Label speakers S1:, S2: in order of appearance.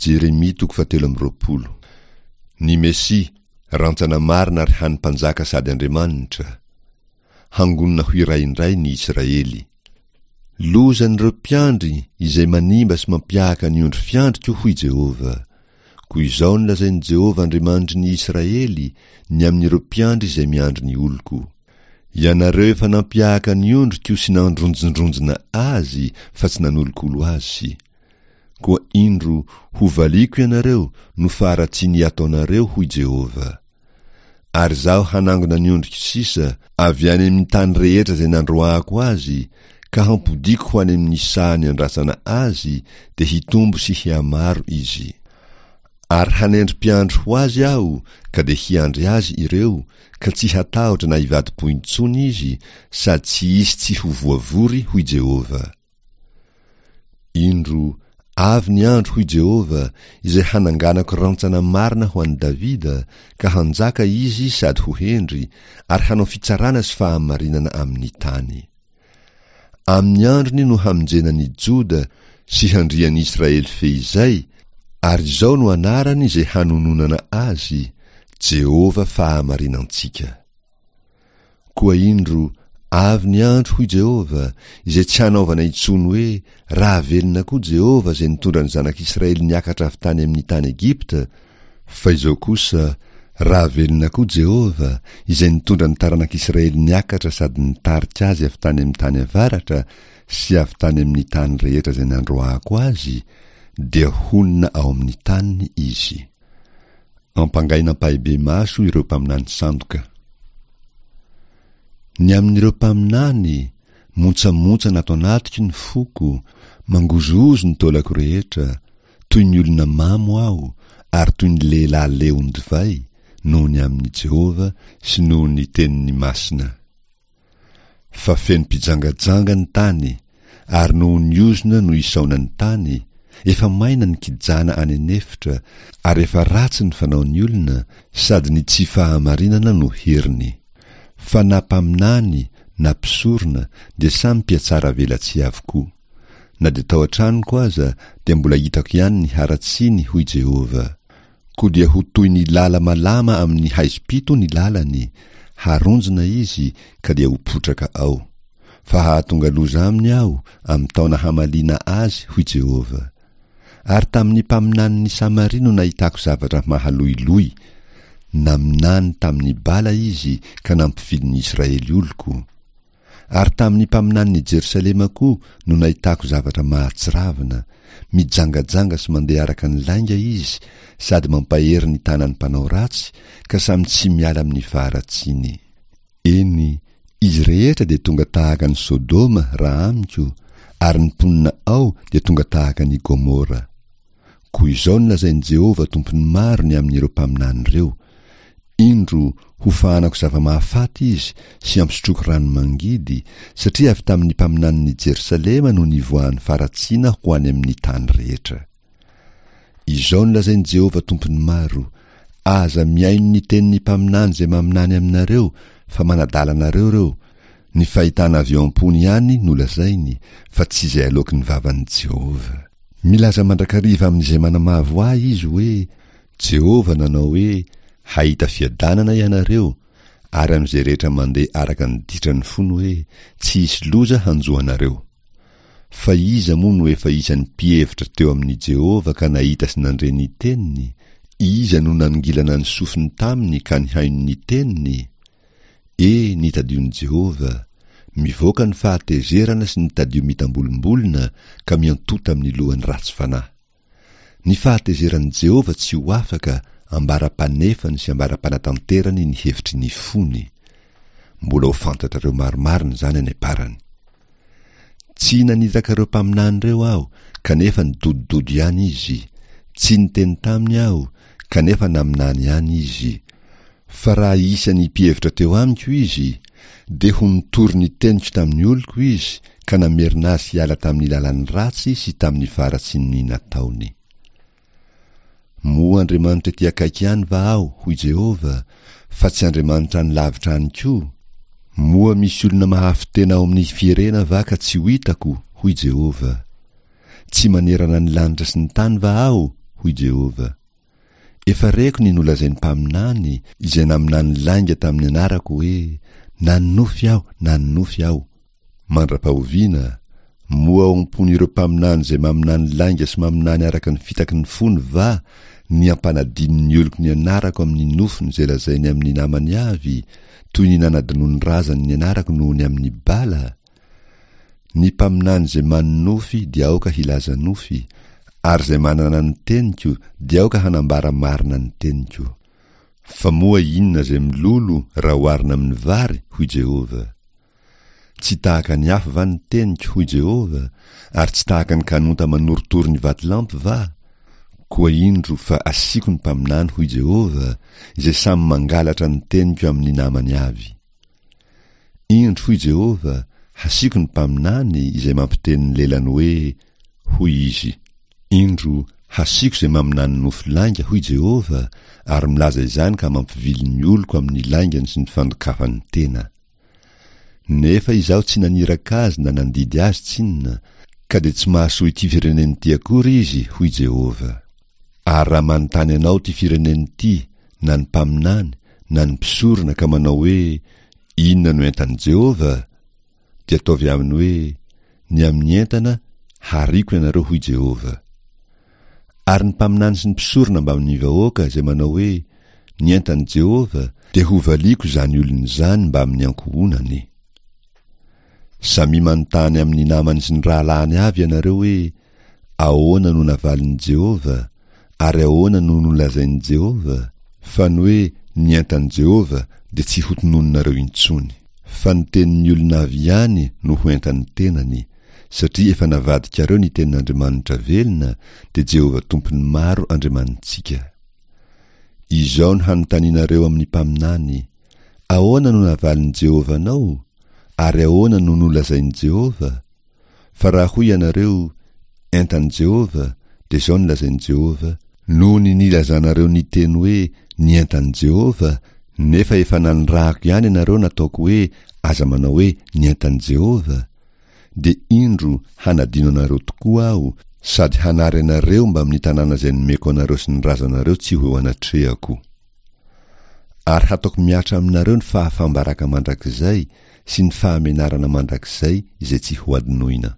S1: Jeremia toko fahatelo amby 20. Ny Mesia, rantsana marina ary hany Mpanjaka sady Andriamanitra. Hangonina ho iray indray ny Israely. Lozan'ireo mpiandry izay manimba sy mampiahaka ny ondry fiandriko, hoy Jehovah. Koa izao no lazain'i Jehovah Andriamanitry ny Israely ny amin'ireo mpiandry izay miandry ny oloko, Ianareo efa nampiahaka ny ondriko sy nandronjindronjina azy fa tsy nanolokolo azy. Koa indro, hovaliako ianareo noho faharatsian'ny ataonareo, hoy Jehovah. Ary Izaho hanangona ny ondriko sisa avy any amin'ny tany rehetra izay nandroahako azy, ka hampodiako ho any amin'ny saha niandrasana azy, dia hitombo sy hihamaro izy. Ary hanendry mpiandry ho azy Aho, ka dia hiandry azy ireo, ka tsy hatahotra na hivadi-po intsony izy, sady tsy hisy tsy ho voavory, hoy Jehovah. Indro, avy ny andro, hoy Jehovah, izay hananganako rantsana marina ho an'i Davida, ka hanjaka izy sady ho hendry, ary hanao fitsarana sy fahamarinana amin'ny tany. Amin'ny androny no hamonjena ny Joda sy handrian'i Israely feizay, ary izao no anarany izay hanononana azy, Jehovah fahamarinantsika. Koa indro, avy ny andro, hoy Jehovah, izay tsy hanaovana intsony hoe, Raha velona koa Jehovah izay nitondra ny zanak'Israely niakatra avy tany amin'ny tany Egypta, fa izao kosa, Raha velona koa Jehovah, izay nitondra ny taranak'Israely niakatra sady nitarika azy avy tany amin'ny tany avaratra sy avy tany amin'ny tany rehetra izay nandroahako azy, dia honina ao amin'ny taniny izy. Ampangaina ampahibemaso ireo mpaminany sandoka. Ny amin'ireo mpaminany, montsamontsana ato anatiko ny foko, mangozohozo ny taolako rehetra, toy ny olona mamo aho, ary toy ny lehilahy leon-divay, noho ny amin'i Jehovah sy noho ny teniny masina. Fa feno mpijangajanga ny tany, ary noho ny ozona no isaona ny tany, efa maina ny kijana any an'efitra, ary efa ratsy ny fanaon'ny olona, sady ny tsy fahamarinana no heriny. Fa na mpaminany na mpisorona dia samy mpihatsara velatsihy avokoa. Na dia tao an-tranoko aza dia mbola hitako ihany ny haratsiany, hoy Jehovah. Koa dia ho toy ny lala-malama amin'ny haizim-pito ny lalany, haronjina izy ka dia ho potraka ao. Fa hahatonga loza aminy Aho amin'ny taona hamaliana azy, hoy Jehovah. Ary tamin'ny mpaminanin'i Samaria no nahitako zavatra mahaloiloy. Naminany tamin'i Bala izy ka nampivily ny Israely oloko. Ary tamin'ny mpaminanin'i Jerosalema koa no nahitako zavatra mahatsiravina, mijangajanga sy mandeha araka ny lainga izy sady mampahery ny tanan'ny mpanao ratsy ka samy tsy miala amin'ny faharatsiany. Eny, izy rehetra dia tonga tahaka an'i Sodoma raha amiko, ary ny mponina ao dia tonga tahaka an'i Gomora. Koa izao no lazain'i Jehovah Tompon'ny maro ny amin'ireo mpaminany ireo, Indro, hofahanako zava-mahafaty izy sy hampisotroako rano mangidy, satria avy tamin'ny mpaminanin'i Jerosalema no nivoahan'ny faharatsiana ho any amin'ny tany rehetra. Izao no lazain'i Jehovah Tompon'ny maro, Aza mihaino ny tenin'ny mpaminany izay maminany aminareo, fa manadala anareo ireo, ny fahitana avy ao am-pony ihany no lazainy, fa tsy izay aloaky ny vavan'i Jehovah. Milaza mandrakariva amin'izay manamavo ahy izy hoe, Jehovah nanao hoe, Hahita fiadanana ianareo, ary amin'izay rehetra mandeha araka ny ditran'ny fony hoe, Tsy hisy loza hanjo anareo. Fa iza moa no efa isan'ny mpihevitra teo amin'i Jehovah ka nahita sy nandre ny teniny? Iza no nanongilana ny sofiny taminy ka nihaino ny teniny? E, ny tadion'i Jehovah! Mivoaka ny fahatezerana sy ny tadio mitambolimbolina ka miantota amin'ny lohan'ny ratsy fanahy. Ny fahatezeran'i Jehovah tsy ho afaka ambara-panefany sy ambara-panatanterany ny hevitry ny fony. Mbola ho fantatrareo marimarina izany any am-parany. Tsy naniraka ireo mpaminany ireo aho, kanefa nidodododo ihany izy. Tsy niteny taminy aho, kanefa naminany ihany izy. Fa raha isan'ny mpihevitra teo amiko izy, dia ho nitory ny teniko tamin'ny oloko izy ka namerina azy hiala tamin'ny lalany ratsy sy tamin'ny faharatsian'ny nataony. Moa Andriamanitra ety akaiky ihany va aho, hoy Jehovah, fa tsy Andriamanitra any lavitra any koa? Moa misy olona mahafy-tena ao amin'ny fierena va ka tsy ho hitako, hoy Jehovah. Tsy manerana ny lanitra sy ny tany va aho? hoy Jehovah. Efa reko ny nolazain'ny mpaminany, izay naminany lainga tamin'ny anarako hoe, Nanonofy aho, nanonofy aho. Mandra-pahoviana? Moa ao am-pon'ireo mpaminany izay maminany lainga sy maminany araka ny fitaky ny fony va ny hampanadino ny oloko ny anarako amin'ny nofiny izay lazainy amin'ny namany avy, toy ny nanadinoan'ny razany ny anarako noho ny amin'ny bala? Ny mpaminany izay manonofy dia aoka hilaza nofy, ary izay manana ny teniko dia aoka hanambara marina ny teniko. Fa moa inona izay milolo raha oharina amin'ny vary? hoy Jehovah. Tsy tahaka ny afo va ny teniko, hoy Jehovah, ary tsy tahaka ny kanonta manorotoro ny vatolampy va? Koa indro fa asiako ny mpaminany, hoy Jehovah, izay samy mangalatra ny teniko amin'ny namany avy. Indro, hoy Jehovah, hasiako ny mpaminany izay mampiteny ny lelany hoe, Hoy izy. Indro, hasiako izay maminany nofy lainga, hoy Jehovah, ary milaza izany ka mampivily ny oloko amin'ny laingany sy ny fandokafany tena. Nefa Izaho tsy naniraka azy na nandidy azy tsinona, ka dia tsy mahasoa ity firenena ity akory izy, hoy Jehovah. Ary raha manontany anao ity firenena ity, na ny mpaminany, na ny mpisorona, ka manao hoe, Inona no entan'i Jehovah? dia ataovy aminy hoe, Ny amin'ny entana, hariako ianareo, hoy Jehovah. Ary ny mpaminany sy ny mpisorona mbamin'ny vahoaka izay manao hoe, Ny entan'i Jehovah, dia hovaliako izany olona izany mbamin'ny ankohonany. Samia manontany amin'ny namany sy ny rahalahiny avy ianareo hoe, Ahoana no navalin'i Jehovah, ary ahoana no nolazain'i Jehovah? Fa ny hoe ny entan'i Jehovah dia tsy hotononinareo intsony. Fa ny tenin'ny olona avy ihany no ho entan'ny tenany, satria efa navadikareo ny tenin'Andriamanitra velona, dia Jehovah Tompon'ny maro Andriamanitsika. Izao no hanontanianareo amin'ny mpaminany, Ahoana no navalin'i Jehovah anao? Ary ahoana no nolazain'i Jehovah? Fa raha hoy ianareo, Entan'i Jehovah, dia izao no lazain'i Jehovah, Noho ny nilazanareo niteny hoe, Ny entan'i Jehovah, nefa efa nanirahako ihany ianareo nataoko hoe, Aza manao hoe, Ny entan'i Jehovah, dia indro, hanadino anareo tokoa Aho, sady hanary anareo mbamin'ny tanàna izay nomeko anareo sy ny razanareo tsy ho eo anatrehako. Ary hataoko mihatra aminareo ny fahafaham-baraka mandrakizay sy ny fahamenarana mandrakizay izay tsy hohadinoina.